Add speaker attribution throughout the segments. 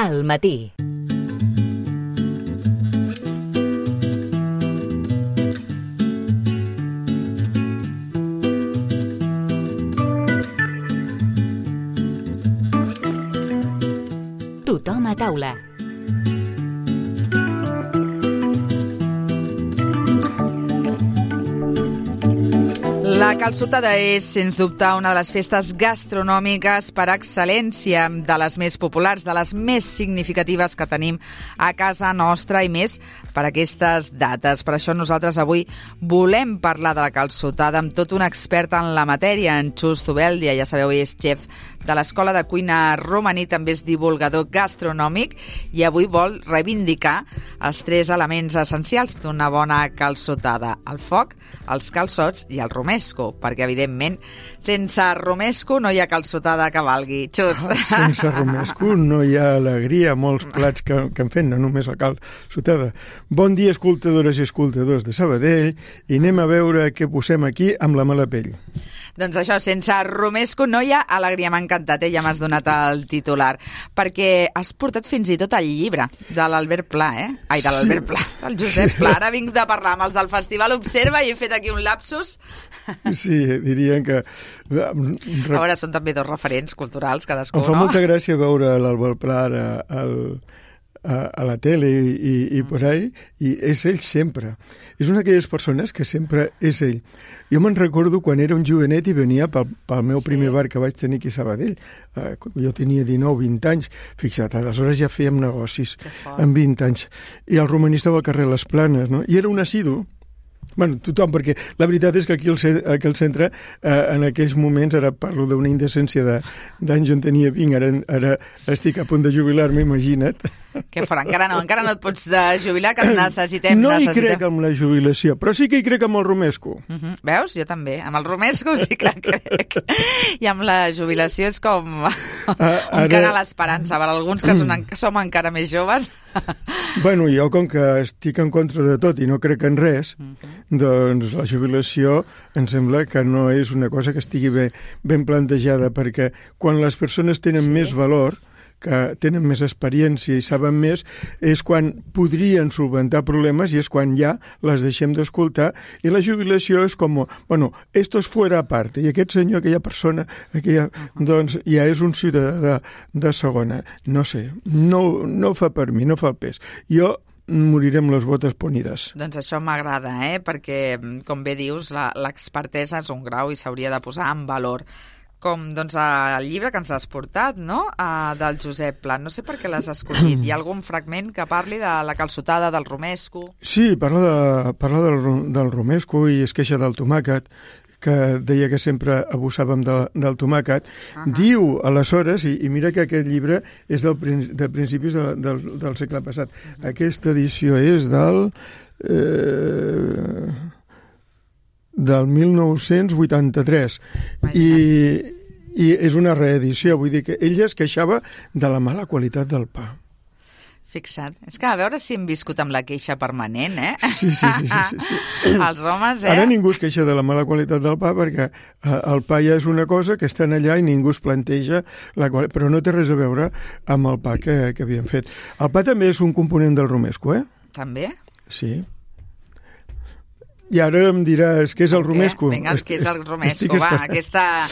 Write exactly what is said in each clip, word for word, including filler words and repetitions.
Speaker 1: Al matí. Tothom a taula.
Speaker 2: La calçotada és, sens dubte, una de les festes gastronòmiques per excel·lència, de les més populars, de les més significatives que tenim a casa nostra i més per aquestes dates. Per això nosaltres avui volem parlar de la calçotada amb tot un expert en la matèria, en Xus Zubeldia. Ja sabeu, és xef de l'Escola de Cuina Romaní, també és divulgador gastronòmic i avui vol reivindicar els tres elements essencials d'una bona calçotada: el foc, els calçots i el romesco, perquè, evidentment, sense romesco no hi ha calçotada que valgui. Xus.
Speaker 3: Ah, sense romesco no hi ha alegria, molts plats que, que en fem, no només la calçotada. Bon dia, escoltadores i escoltadors de Sabadell, i anem a veure què posem aquí amb la mala pell.
Speaker 2: Doncs això, sense romesco no hi ha alegria. M'ha encantat, eh? Ja m'has donat el titular, perquè has portat fins i tot el llibre de l'Albert Pla, eh? Ai, de l'Albert sí. Pla, del Josep Pla. Ara vinc de parlar amb els del Festival Observa i he fet aquí un lapsus.
Speaker 3: Sí, dirien que...
Speaker 2: A veure, són també dos referents culturals, cadascú, no?
Speaker 3: Em fa molta gràcia veure l'Albert Pla ara al... a, a la tele i, i, i por ahí, i és ell sempre. És una d'aquelles persones que sempre és ell. Jo me'n recordo quan era un jovenet i venia pel, pel meu primer bar que vaig tenir aquí a Sabadell. Uh, jo tenia dinou, vint anys. Fixa't, aleshores ja fèiem negocis amb vint anys. I el romaní estava al carrer Les Planes, no? I era un assidu. Bueno, tothom, perquè la veritat és que aquí al, aquí al centre, eh, en aquells moments, ara parlo d'una indecència d'anys on tenia vint, ara, ara estic a punt de jubilar-me, imagina't.
Speaker 2: Què farà? Encara no, encara no et pots jubilar, que et necessitem.
Speaker 3: No
Speaker 2: necessitem.
Speaker 3: hi crec amb la jubilació, però sí que hi crec amb el romesco.
Speaker 2: Uh -huh. Veus? Jo també. Amb el romesco sí que crec. I amb la jubilació és com un ara... cant a l'esperança. Per alguns que són, som encara més joves.
Speaker 3: Bueno, jo com que estic en contra de tot i no crec en res, uh -huh. doncs la jubilació em sembla que no és una cosa que estigui bé, ben plantejada, perquè quan les persones tenen sí. més valor, que tenen més experiència i saben més, és quan podrien solventar problemes i és quan ja les deixem d'escoltar, i la jubilació és com, bueno, esto es fuera aparte, i aquest senyor, aquella persona, aquella, uh-huh. doncs ja és un ciutadà de, de segona. No sé, no, no fa per mi, no fa el pes. Jo moriré amb les botes ponides.
Speaker 2: Doncs això m'agrada, eh? Perquè, com bé dius, l'expertesa és un grau i s'hauria de posar en valor. Com doncs, el llibre que ens has portat, no?, uh, del Josep Pla. No sé per què l'has escollit. Hi ha algun fragment que parli de la calçotada, del romesco?
Speaker 3: Sí, parla, de, parla del, del romesco i es queixa del tomàquet, que deia que sempre abusàvem de, del tomàquet. Uh-huh. Diu, aleshores, i, i mira que aquest llibre és del, de principis de, del, del segle passat. Uh-huh. Aquesta edició és del... Eh, del mil nou-cents vuitanta-tres. I, i és una reedició, vull dir que ella es queixava de la mala qualitat del pa.
Speaker 2: Fixa't. És que a veure si hem viscut amb la queixa permanent, eh?
Speaker 3: Sí, sí, sí. sí, sí, sí.
Speaker 2: Els homes, eh?
Speaker 3: Ara ningú es queixa de la mala qualitat del pa perquè el pa ja és una cosa que estan allà i ningú es planteja, la qual... però no té res a veure amb el pa que, que havíem fet. El pa també és un component del romesco, eh?
Speaker 2: També?
Speaker 3: Sí. I ara em diràs què és el romesco.
Speaker 2: Vinga, què és el romesco? Va, aquesta,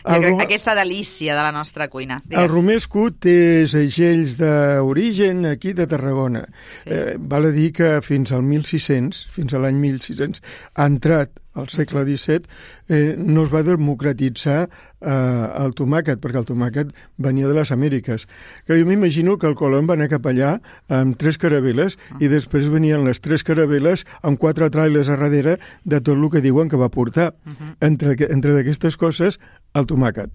Speaker 2: rom... aquesta delícia de la nostra cuina. Digues.
Speaker 3: El romesco té segells d'origen aquí de Tarragona. Sí. Eh, val a dir que fins al mil sis-cents, fins a l'any mil sis-cents, ha entrat al segle disset, eh, no es va democratitzar eh, el tomàquet, perquè el tomàquet venia de les Amèriques. Que jo m'imagino que el Colón va anar cap allà amb tres caravel·les uh -huh. i després venien les tres caravel·les amb quatre trailers a darrere de tot el que diuen que va portar. Uh -huh. Entre, entre d'aquestes coses, el tomàquet.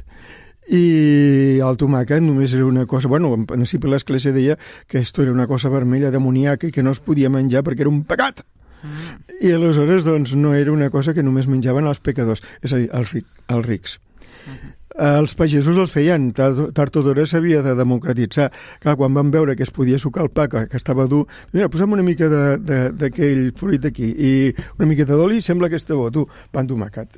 Speaker 3: I el tomàquet només era una cosa... Bueno, en principi l'Església deia que esto era una cosa vermella demoníaca i que no es podia menjar perquè era un pecat. Mm. I aleshores doncs, no era una cosa que només menjaven els pecadors, és a dir, els, ric, els rics. Mm-hmm. Els pagesos els feien, tard o d'hora s'havia de democratitzar. Clar, quan van veure que es podia sucar el pa, que, que estava dur, mira, posem una mica d'aquell fruit aquí i una miqueta d'oli, sembla que està bo, tu, pa amb tomàquet.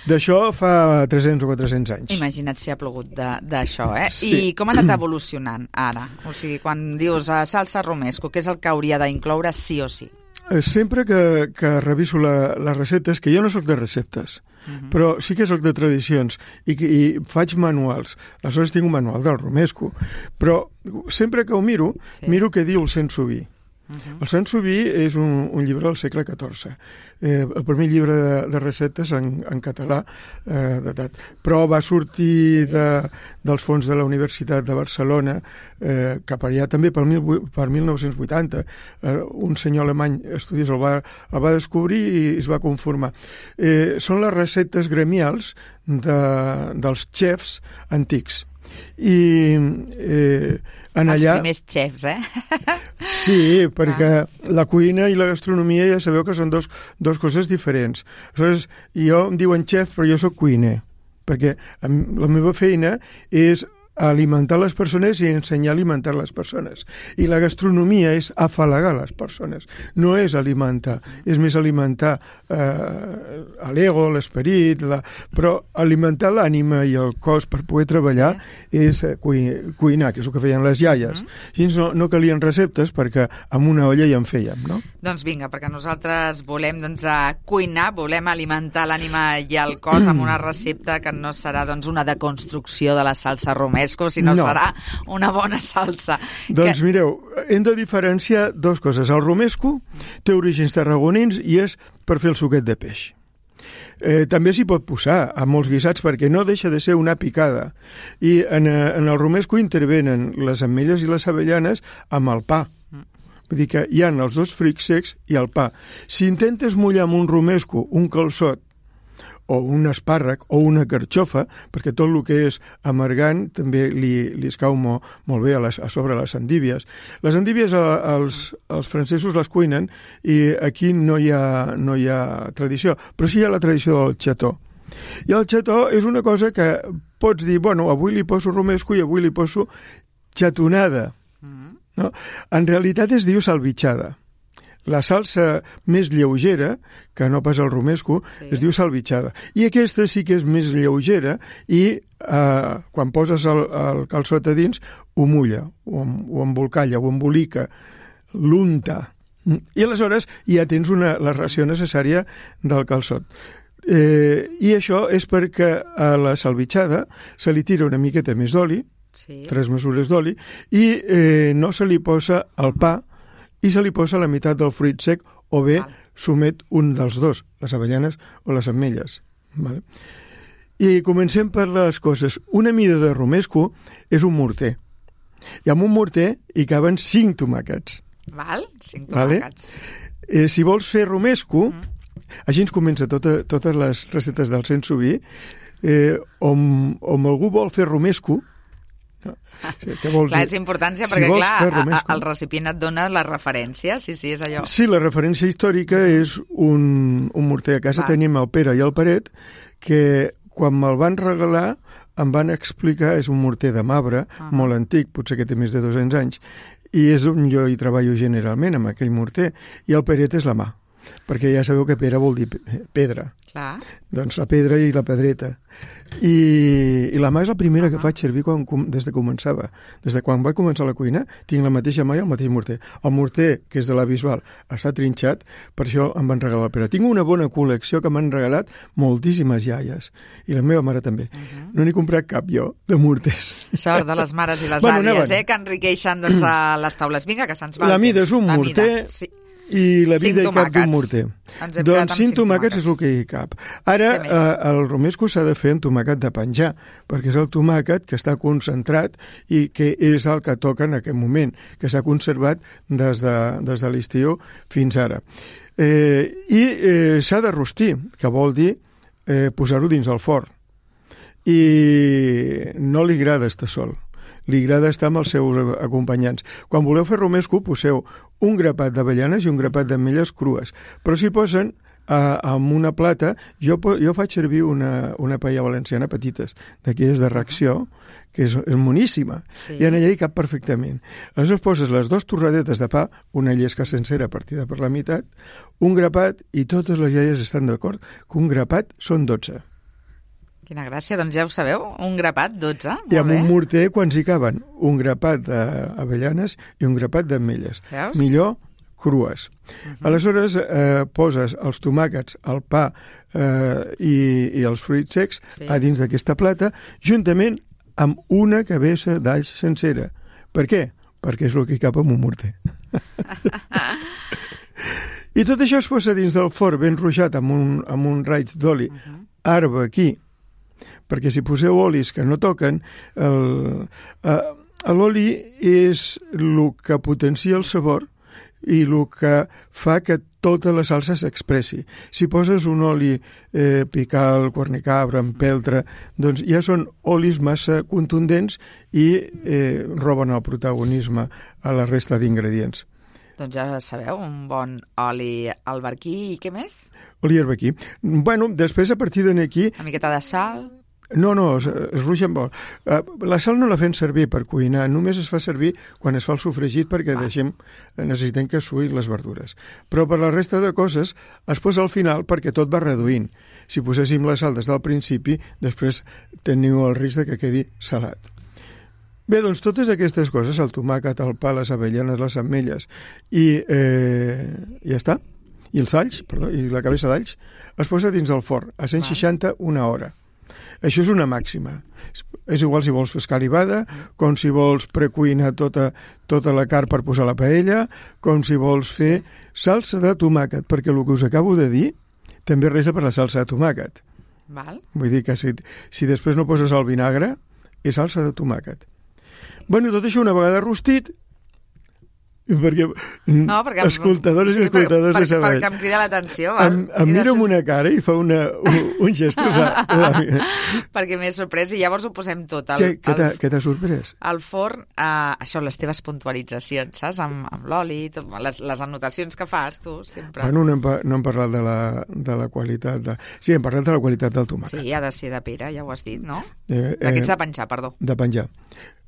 Speaker 3: D'això fa tres-cents o quatre-cents anys.
Speaker 2: Imagina't si ha plogut d'això, eh?
Speaker 3: Sí.
Speaker 2: I com ha anat evolucionant ara? O sigui, quan dius uh, salsa romesco, què és el que hauria d'incloure sí o sí?
Speaker 3: Sempre que, que reviso la, les receptes, que jo no sóc de receptes, uh-huh. però sí que sóc de tradicions i, i faig manuals. Aleshores tinc un manual del romesco, però sempre que ho miro, sí. miro què diu el Saint-Subi. Uh-huh. El Saint-Subi és un, un llibre del segle catorze, eh, el primer llibre de, de receptes en, en català eh, datat. Però va sortir de, dels fons de la Universitat de Barcelona eh, cap allà també per, mil, per mil nou-cents vuitanta. Eh, un senyor alemany estudiós el va, el va descobrir i es va conformar. Eh, són les receptes gremials de, dels xefs antics. I eh, en allà...
Speaker 2: Els primers xefs, eh?
Speaker 3: Sí, perquè ah. la cuina i la gastronomia ja sabeu que són dos, dos coses diferents. Aleshores, jo em diuen xef, però jo sóc cuiner, perquè la meva feina és alimentar les persones i ensenyar a alimentar les persones. I la gastronomia és afalagar les persones, no és alimentar, és més alimentar eh, l'ego, l'esperit, la... però alimentar l'ànima i el cos per poder treballar sí. és cuinar, cuinar, que és el que feien les iaies. Mm-hmm. Així no, no calien receptes perquè amb una olla ja en fèiem, no?
Speaker 2: Doncs vinga, perquè nosaltres volem doncs, a cuinar, volem alimentar l'ànima i el cos amb una recepta que no serà doncs, una deconstrucció de la salsa romesco, sinó no. serà una bona salsa.
Speaker 3: Doncs
Speaker 2: que...
Speaker 3: mireu, hem de diferenciar dues coses. El romesco té orígens tarragonins i és per fer el suquet de peix. Eh, també s'hi pot posar a molts guisats perquè no deixa de ser una picada. I en, en el romesco intervenen les ametlles i les avellanes amb el pa. Vull dir que hi ha els dos fruits secs i el pa. Si intentes mullar amb un romesco, un calçot, o un espàrrec, o una carxofa, perquè tot el que és amargant també li, li escau mo, molt bé a, les, a sobre les endívies. Les endívies a, als, els francesos les cuinen i aquí no hi, ha, no hi ha tradició, però sí hi ha la tradició del xató. I el xató és una cosa que pots dir, bueno, avui li poso romesco i avui li poso xatonada. No? En realitat es diu salvitxada. La salsa més lleugera, que no pas el romesco, sí. es diu salvitxada. I aquesta sí que és més lleugera i eh, quan poses el, el calçot a dins ho mulla, o, o embolcalla, o embolica, l'unta. I aleshores ja tens una, la ració necessària del calçot. Eh, I això és perquè a la salvitxada se li tira una miqueta més d'oli, sí. tres mesures d'oli, i eh, no se li posa el pa, i se li posa la meitat del fruit sec o bé Val. Somet un dels dos, les avellanes o les ametlles. Vale? I comencem per les coses. Una mida de romesco és un morter. I amb un morter hi caben cinc tomàquets.
Speaker 2: Val? Cinc tomàquets.
Speaker 3: Vale? Eh, si vols fer romesco, mm. així ens comença tota, totes les receptes del Saint-Subi, eh, on, on algú vol fer romesco, no. Sí,
Speaker 2: clar, és importància si perquè, clar, a, el recipient et dona la referència, sí, sí, és allò.
Speaker 3: Sí, la referència històrica és un, un morter. A casa Va. Tenim el Pere i el Peret, que quan me'l van regalar em van explicar, és un morter de marbre, uh -huh. molt antic, potser que té més de dos-cents anys, i és on jo hi treballo generalment, amb aquell morter, i el Peret és la mà, perquè ja sabeu que Pere vol dir pedra.
Speaker 2: Clar.
Speaker 3: Doncs la pedra i la pedreta. I, i la mà és la primera uh -huh. que faig servir quan, des de començava. Des de quan vaig començar la cuina, tinc la mateixa mà i el mateix morter. El morter, que és de la Bisbal, està trinxat, per això em van regalar. Però tinc una bona col·lecció que m'han regalat moltíssimes iaies. I la meva mare també. Uh -huh. No n'he comprat cap jo, de morters.
Speaker 2: Sort de les mares i les bueno, àvies, eh, que enriqueixen doncs, a les taules. Vinga, que se'ns va.
Speaker 3: La mida és un la morter... Sí. I la vida hi cap d'un morter. Doncs cinc tomàquets és el que hi cap. Ara, eh, el romesco s'ha de fer en tomàquet de penjar, perquè és el tomàquet que està concentrat i que és el que toca en aquest moment, que s'ha conservat des de, des de l'estiu fins ara. Eh, I eh, s'ha de rostir, que vol dir eh, posar-ho dins el forn. I no li agrada estar sol. Li agrada estar amb els seus acompanyants. Quan voleu fer romesco, poseu un grapat d'avellanes i un grapat d'ametlles crues, però s'hi posen uh, amb una plata. Jo, jo faig servir una, una paella valenciana petites, d'aquelles de reacció, que és, és moníssima, sí. I en allà hi cap perfectament. Aleshores poses les dues torradetes de pa, una llesca sencera partida per la meitat, un grapat, i totes les iaies estan d'acord que un grapat són dotze.
Speaker 2: Quina gràcia, doncs ja ho sabeu, un grapat, dotze.
Speaker 3: I amb un morter, quants hi caben? Un grapat d'avellanes i un grapat d'ametlles. Millor crues. Uh-huh. Aleshores, eh, poses els tomàquets, el pa eh, i, i els fruits secs sí. a dins d'aquesta plata, juntament amb una cabessa d'alls sencera. Per què? Perquè és el que hi cap amb un morter. I tot això es posa dins del forn ben ruixat amb un, amb un raig d'oli uh-huh. arbequí, perquè si poseu olis que no toquen, l'oli és el que potencia el sabor i el que fa que tota la salsa s'expressi. Si poses un oli eh, pical, cornicabra, empeltre, doncs ja són olis massa contundents i eh, roben el protagonisme a la resta d'ingredients.
Speaker 2: Doncs ja sabeu, un bon oli alberquí i què més?
Speaker 3: Oli alberquí. Bueno, després a partir d'aquí...
Speaker 2: Una miqueta de sal...
Speaker 3: No, no, es, es ruixen molt. La sal no la fem servir per cuinar, només es fa servir quan es fa el sofregit perquè ah. deixem, necessitem que suïn les verdures. Però per la resta de coses es posa al final perquè tot va reduint. Si poséssim la sal des del principi, després teniu el risc de que quedi salat. Bé, doncs totes aquestes coses, el tomàquet, el pa, les avellanes, les ametlles i eh, ja està, i els alls, perdó, i la cabessa d'alls, es posa dins del forn a cent seixanta una hora. Això és una màxima. És igual si vols fer escalivada, com si vols precuinar tota, tota la carn per posar a la paella, com si vols fer salsa de tomàquet, perquè el que us acabo de dir també resa per la salsa de tomàquet.
Speaker 2: Val.
Speaker 3: Vull dir que si, si després no poses el vinagre, és salsa de tomàquet. Bueno, tot això una vegada rostit, perquè,
Speaker 2: no, perquè
Speaker 3: escoltadores i escoltadors
Speaker 2: per,
Speaker 3: de saber.
Speaker 2: Perquè em crida l'atenció.
Speaker 3: Em, em mira amb una cara i fa una, un, un gest.
Speaker 2: Perquè m'he sorprès i llavors ho posem tot. El,
Speaker 3: què què t'ha sorprès?
Speaker 2: Al forn, eh, això, les teves puntualitzacions, saps? Amb, amb l'oli, les, les anotacions que fas tu, sempre.
Speaker 3: Bueno, no hem, no hem parlat de la, de la qualitat. De... Sí, hem parlat de la qualitat del tomàquet.
Speaker 2: Sí, ha de ser de pera, ja ho has dit, no?
Speaker 3: Eh,
Speaker 2: D'aquests
Speaker 3: eh,
Speaker 2: de penjar, perdó.
Speaker 3: De penjar.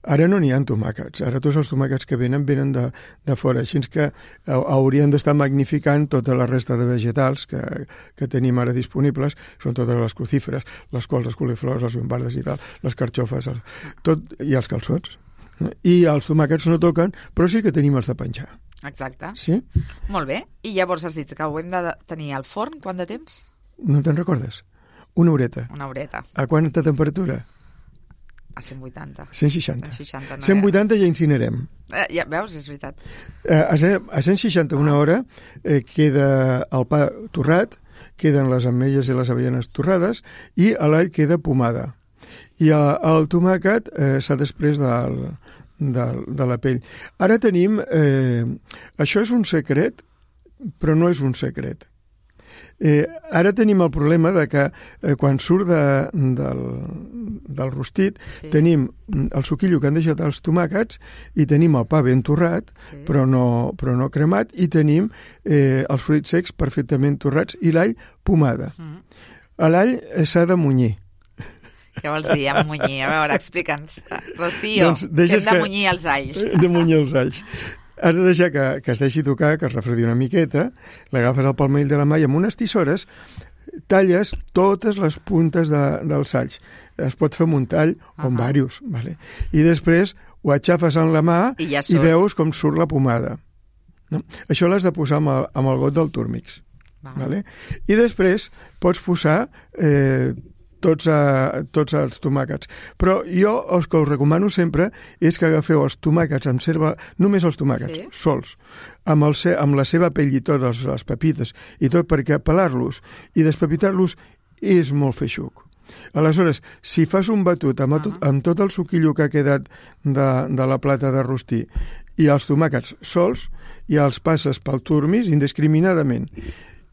Speaker 3: Ara no n'hi ha tomàquets, ara tots els tomàquets que venen venen de, de fora, així que haurien d'estar magnificant tota la resta de vegetals que, que tenim ara disponibles, són totes les crucíferes, les cols, les coliflors, les bombardes i tal, les carxofes, el, tot, i els calçots. I els tomàquets no toquen, però sí que tenim els de penjar.
Speaker 2: Exacte.
Speaker 3: Sí?
Speaker 2: Molt bé. I llavors has dit que ho hem de tenir al forn, quant de temps?
Speaker 3: No te'n recordes? Una horeta.
Speaker 2: Una horeta.
Speaker 3: A quanta temperatura?
Speaker 2: A cent vuitanta.
Speaker 3: cent seixanta.
Speaker 2: cent seixanta, no
Speaker 3: cent vuitanta ja incinerem.
Speaker 2: Eh, ja, veus, és veritat.
Speaker 3: Eh, a, a cent seixanta una hora eh, queda el pa torrat, queden les ametlles i les avellanes torrades i a l'all queda pomada. I a, el tomàquet eh, s'ha després del, del, de la pell. Ara tenim... Eh, això és un secret, però no és un secret. Eh, ara tenim el problema de que eh, quan surt de, del, del rostit sí. tenim el suquillo que han deixat els tomàquets i tenim el pa ben torrat sí. però, no, però no cremat i tenim eh, els fruits secs perfectament torrats i l'all pomada. Mm. L'all s'ha de munyir.
Speaker 2: Què vols dir, amb munyir? A veure, explica'ns. Rocío, doncs que hem de munyir els alls.
Speaker 3: De munyir els alls. Has de deixar que, que es deixi tocar, que es refredi una miqueta, l'agafes al palmell de la mà i amb unes tisores talles totes les puntes de, dels alls. Es pot fer amb un tall o amb uh-huh. diversos. Vale? I després ho aixafes en la mà i, ja i veus com surt la pomada. No? Això l'has de posar amb el, amb el got del túrmix. Vale. Vale? I després pots posar... Eh, Tots, a, tots els tomàquets. Però jo el que us recomano sempre és que agafeu els tomàquets amb serva, només els tomàquets, sí. sols, amb, el, amb la seva pell i tot, les, les pepites, i tot perquè pelar-los i despepitar-los és molt feixuc. Aleshores, si fas un batut amb, uh-huh. tot, amb tot el suquillo que ha quedat de, de la plata de rostir i els tomàquets sols, i els passes pel turmis indiscriminadament.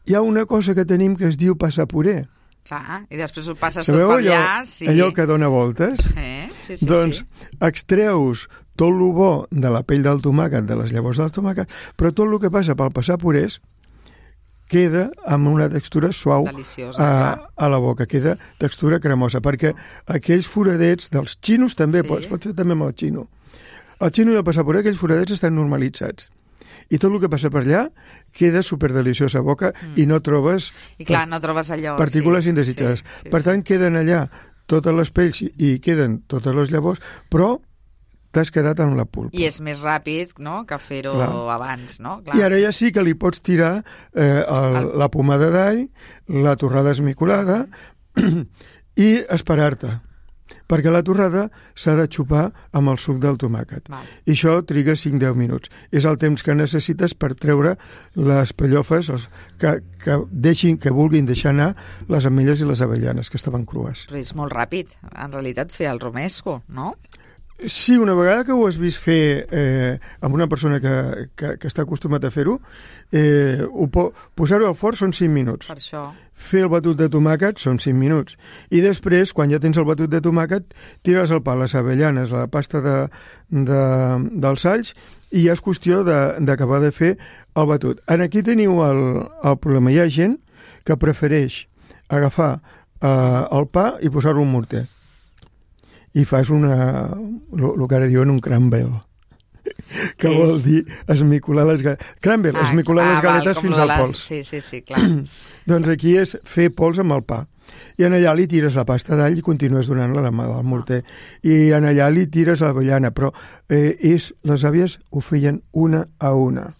Speaker 3: Hi ha una cosa que tenim que es diu passapuré.
Speaker 2: Clar, i després ho passes
Speaker 3: Sabeu
Speaker 2: tot per allà.
Speaker 3: Allò,
Speaker 2: sí.
Speaker 3: allò que dona voltes?
Speaker 2: Eh? Sí, sí,
Speaker 3: doncs
Speaker 2: sí.
Speaker 3: extreus tot el bo de la pell del tomàquet, de les llavors del tomàquet, però tot el que passa pel passapurés queda amb una textura suau
Speaker 2: deliciosa,
Speaker 3: a, a la boca, queda textura cremosa, perquè aquells foradets dels xinos també, sí. es pot fer també amb el xino. El xino i el passaporè, aquells foradets estan normalitzats. I tot el que passa per allà queda superdeliciós a boca mm. i no trobes...
Speaker 2: I clar, no trobes allò...
Speaker 3: Partícules sí, indesitjades. Sí, sí, per tant, sí. queden allà totes les pells i queden totes les llavors, però t'has quedat amb la pulpa.
Speaker 2: I és més ràpid, no?, que fer-ho abans, no? Clar.
Speaker 3: I ara ja sí que li pots tirar eh, el, el... la pomada d'all, la torrada esmicolada i esperar-te, perquè la torrada s'ha de xupar amb el suc del tomàquet. Val. I això triga cinc a deu minuts. És el temps que necessites per treure les pellofes els, que, que, deixin, que vulguin deixar anar les ametlles i les avellanes, que estaven crues.
Speaker 2: Però és molt ràpid, en realitat, fer el romesco, no?
Speaker 3: Sí, una vegada que ho has vist fer eh, amb una persona que, que, que està acostumat a fer-ho, eh, posar-ho al forn són cinc minuts.
Speaker 2: Per això.
Speaker 3: Fer el batut de tomàquet són cinc minuts. I després, quan ja tens el batut de tomàquet, tires al pa les avellanes, la pasta de, de, dels alls, i ja és qüestió d'acabar de, de fer el batut. En aquí teniu el, el problema. Hi ha gent que prefereix agafar eh, el pa i posar-lo en morter. I fas una, el que ara diuen un crumble, que vol dir esmicolar les galetes. Crumble, ah, esmicolar ah, les galetes val, fins al pols.
Speaker 2: Sí, sí, sí, clar.
Speaker 3: Doncs aquí és fer pols amb el pa. I en allà li tires la pasta d'all i continues donant-la la mà del morter. I en allà li tires l'avellana, però eh, és, les àvies ho feien una a una.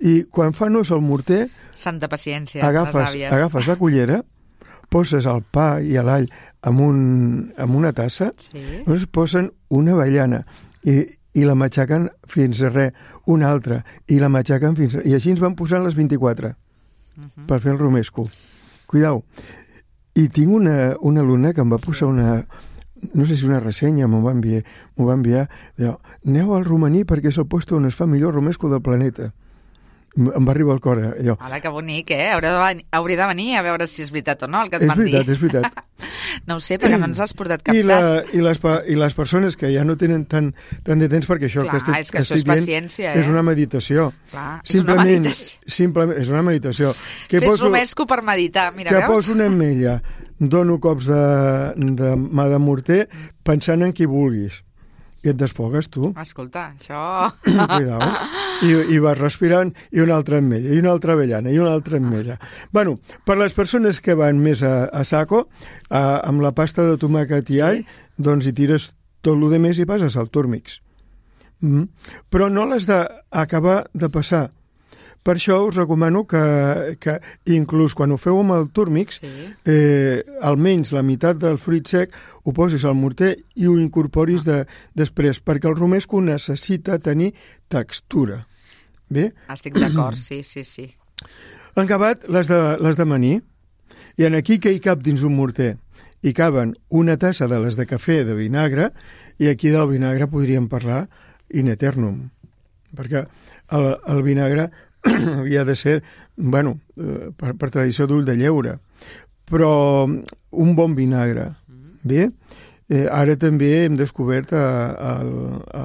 Speaker 3: I quan fan ús el morter...
Speaker 2: Santa paciència,
Speaker 3: agafes,
Speaker 2: les àvies.
Speaker 3: Agafes la cullera, poses el pa i l'all amb, un, amb una tassa, sí. Llavors posen una avellana i, i la matxaquen fins a res, una altra, i la matxaquen fins a... I així ens van posant les vint-i-quatre uh-huh. per fer el romesco. Cuidao. I tinc una, una alumna que em va posar una... no sé si una ressenya, m'ho va enviar, m'ho va enviar, diu, aneu al romaní perquè és el lloc on es fa millor romesco del planeta. Em va arribar al cor. Allò.
Speaker 2: Hola, que bonic, eh? Hauria de, venir, hauria de venir a veure si és veritat o no el que et
Speaker 3: és
Speaker 2: van dir.
Speaker 3: És veritat, és veritat.
Speaker 2: No ho sé, perquè no ens has portat cap
Speaker 3: I, la,
Speaker 2: tast.
Speaker 3: i, les, I les persones que ja no tenen tant, tant de temps, perquè això
Speaker 2: Clar,
Speaker 3: que estic,
Speaker 2: és que això és paciència,
Speaker 3: eh?
Speaker 2: eh?
Speaker 3: És una meditació.
Speaker 2: Clar, és
Speaker 3: simplement,
Speaker 2: una meditació.
Speaker 3: Simplement, és una meditació. Que
Speaker 2: Fes
Speaker 3: poso,
Speaker 2: romesco per meditar, mira,
Speaker 3: que
Speaker 2: veus?
Speaker 3: Que poso una ametlla, dono cops de, de mà de morter, pensant en qui vulguis. I et desfogues, tu.
Speaker 2: Escolta, això...
Speaker 3: Cuidao. I, I vas respirant, i una altra ametlla, i una altra avellana, i una altra ametlla. Bueno, per les persones que van més a, a saco, a, amb la pasta de tomàquet i all, sí. doncs hi tires tot el de més i passes al túrmix. Mm. Però no l'has d'acabar de passar. Per això us recomano que, que inclús quan ho feu amb el túrmix, sí. eh, almenys la meitat del fruit sec ho posis al morter i ho incorporis de, després, perquè el romesco necessita tenir textura. Bé?
Speaker 2: Estic d'acord, sí, sí, sí.
Speaker 3: Han acabat les de, les de maní, i en aquí que hi cap dins un morter hi caben una tassa de les de cafè de vinagre, i aquí del vinagre podríem parlar in eternum, perquè el, el vinagre havia de ser, bueno, per, per tradició d'ull de lleure, però un bon vinagre. Bé, eh, ara també hem descobert a, a, a,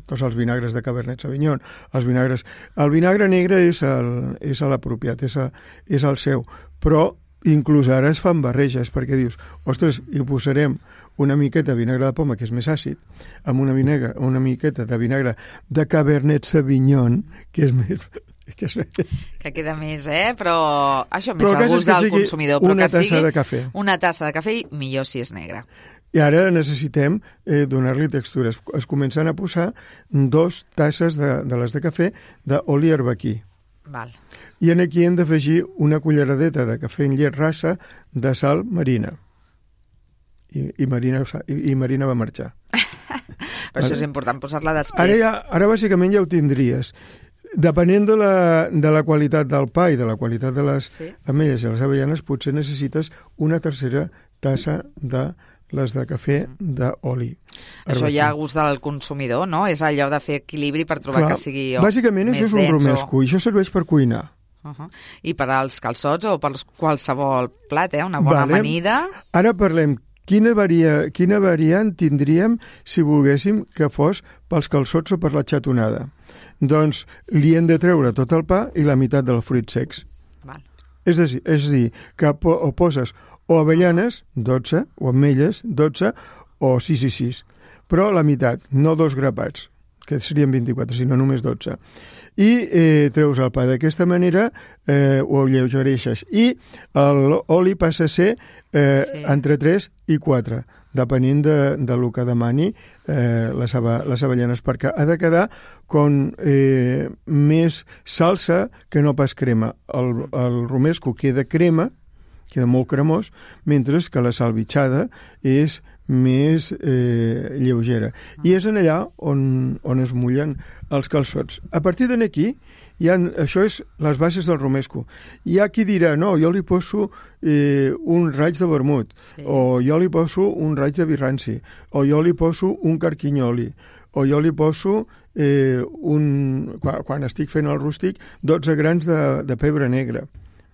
Speaker 3: tots els vinagres de Cabernet Sauvignon. Els vinagres, el vinagre negre és, el, és l'apropiat, és, a, és el seu, però inclús ara es fan barreges, perquè dius, ostres, hi posarem una miqueta de vinagre de poma, que és més àcid, amb una, vinagre, una miqueta de vinagre de Cabernet Sauvignon, que és més...
Speaker 2: Que, que queda més, eh? Però això més al gust del consumidor. Però
Speaker 3: una
Speaker 2: que
Speaker 3: tassa
Speaker 2: sigui
Speaker 3: de cafè.
Speaker 2: Una tassa de cafè, millor si és negre.
Speaker 3: I ara necessitem eh, donar-li textures. Es comencen a posar dos tasses de, de les de cafè d'oli herbaquí.
Speaker 2: Val.
Speaker 3: I en aquí hem d'afegir una culleradeta de cafè en llet rasa de sal marina. I, i, Marina, i, i Marina va marxar.
Speaker 2: Però vale? Això és important, posar-la després.
Speaker 3: Ara, ja, ara bàsicament ja ho tindries. Depenent de la, de la qualitat del pa i de la qualitat de les sí. ametlles i les avellanes, potser necessites una tercera tassa de les de cafè d'oli.
Speaker 2: Això ja a gust del consumidor, no? És allò de fer equilibri per trobar Clar, que sigui oh,
Speaker 3: bàsicament
Speaker 2: més
Speaker 3: això és un romesco, o... i això serveix per cuinar.
Speaker 2: Uh-huh. I per als calçots o per qualsevol plat, eh? Una bona vale. amanida.
Speaker 3: Ara parlem Quina, varia, quina variant tindríem si volguéssim que fos pels calçots o per la xatonada? Doncs li hem de treure tot el pa i la meitat dels fruits secs.
Speaker 2: Val.
Speaker 3: És a dir, és a dir que po o poses o avellanes, dotze, o ametlles, dotze, o sis i sis. Però la meitat, no dos grapats, que serien vint-i-quatre, sinó només dotze. I eh, treus el pa d'aquesta manera, eh, ho lleugereixes. I l'oli passa a ser eh, sí. entre tres i quatre, depenent de, de lo que demani eh, les, les avellanes, perquè ha de quedar com eh, més salsa que no pas crema. El, el romesco queda crema, queda molt cremós, mentre que la salvitxada és més eh, lleugera. I és en allà on, on es mullen els calçots. A partir d'aquí, ha, això és les bases del romesco. Hi ha qui dirà, no, jo li poso eh, un raig de vermut, sí. o jo li poso un raig de birranci, o jo li poso un carquinyoli, o jo li poso, eh, un, quan, quan estic fent el rústic, dotze grans de, de pebre negre.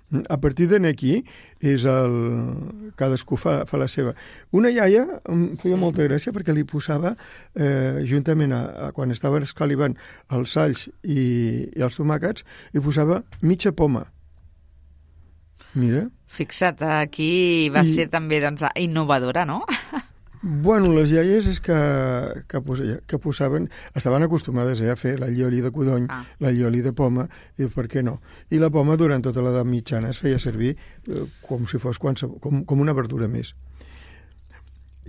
Speaker 3: A partir d'aquí és el... cadascú fa, fa la seva. Una iaia em feia sí. molta gràcia perquè li posava, eh, juntament a, a quan estaven escalivant els alls i, i els tomàquets, li posava mitja poma. Mira.
Speaker 2: Fixa't, aquí va I... ser també doncs, innovadora, no?
Speaker 3: Bueno, les iaies és que, que, posa, que posaven, estaven acostumades eh, a fer la llioli de codony, ah. la llioli de poma, i per què no? I la poma durant tota l'edat mitjana es feia servir eh, com si fos qualsevol, com, com una verdura més.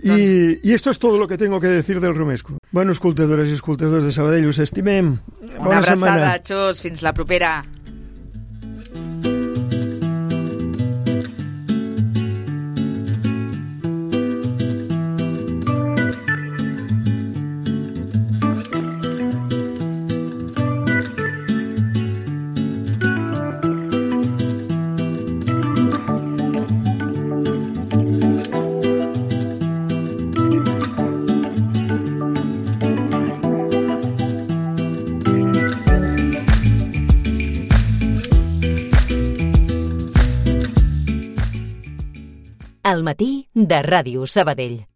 Speaker 3: I, doncs... I esto es todo lo que tengo que decir del romesco. Bueno, escoltadores i escoltadors de Sabadell, us estimem.
Speaker 2: Una
Speaker 3: Bona
Speaker 2: abraçada,
Speaker 3: setmana.
Speaker 2: Xus, fins la propera.
Speaker 1: Al matí de Ràdio Sabadell.